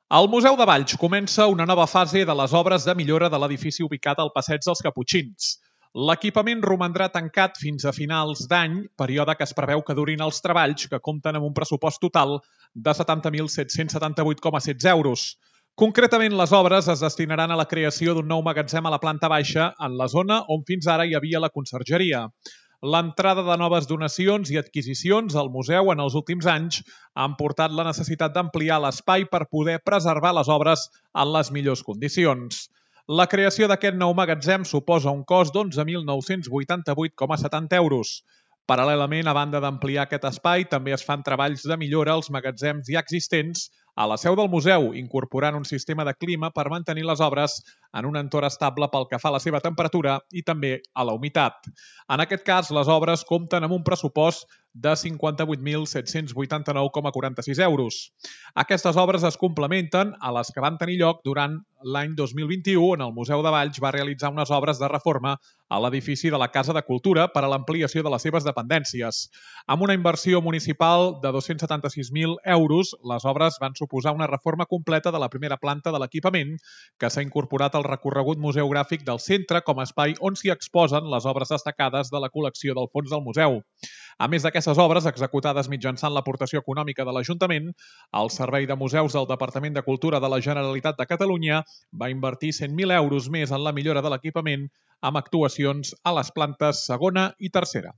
Al Museu de Valls comença una nova fase de les obres de millora de l'edifici ubicat al Passeig dels Caputxins. L'equipament romandrà tancat fins a finals d'any, període que es preveu que durin els treballs, que compten amb un pressupost total de 70.778,16 euros. Concretament, les obres es destinaran a la creació d'un nou magatzem a la planta baixa, en la zona on fins ara hi havia la consergeria. L'entrada de noves donacions i adquisicions al museu en els últims anys han portat la necessitat d'ampliar l'espai per poder preservar les obres en les millors condicions. La creació d'aquest nou magatzem suposa un cost d'11.988,70 euros. Paral·lelament, a banda d'ampliar aquest espai, també es fan treballs de millora als magatzems ja existents a la seu del museu, incorporant un sistema de clima per mantenir les obres en un entorn estable pel que fa a la seva temperatura i també a la humitat. En aquest cas, les obres compten amb un pressupost de 58.789,46 euros. Aquestes obres es complementen a les que van tenir lloc durant l'any 2021, on el Museu de Valls va realitzar unes obres de reforma a l'edifici de la Casa de Cultura per a l'ampliació de les seves dependències. Amb una inversió municipal de 276.000 euros, les obres van suposar una reforma completa de la primera planta de l'equipament, que s'ha incorporat al recorregut museogràfic del centre com a espai on s'hi exposen les obres destacades de la col·lecció del fons del museu. A més d'aquestes obres, executades mitjançant l'aportació econòmica de l'Ajuntament, el Servei de Museus del Departament de Cultura de la Generalitat de Catalunya va invertir 100.000 euros més en la millora de l'equipament amb actuacions a les plantes segona i tercera.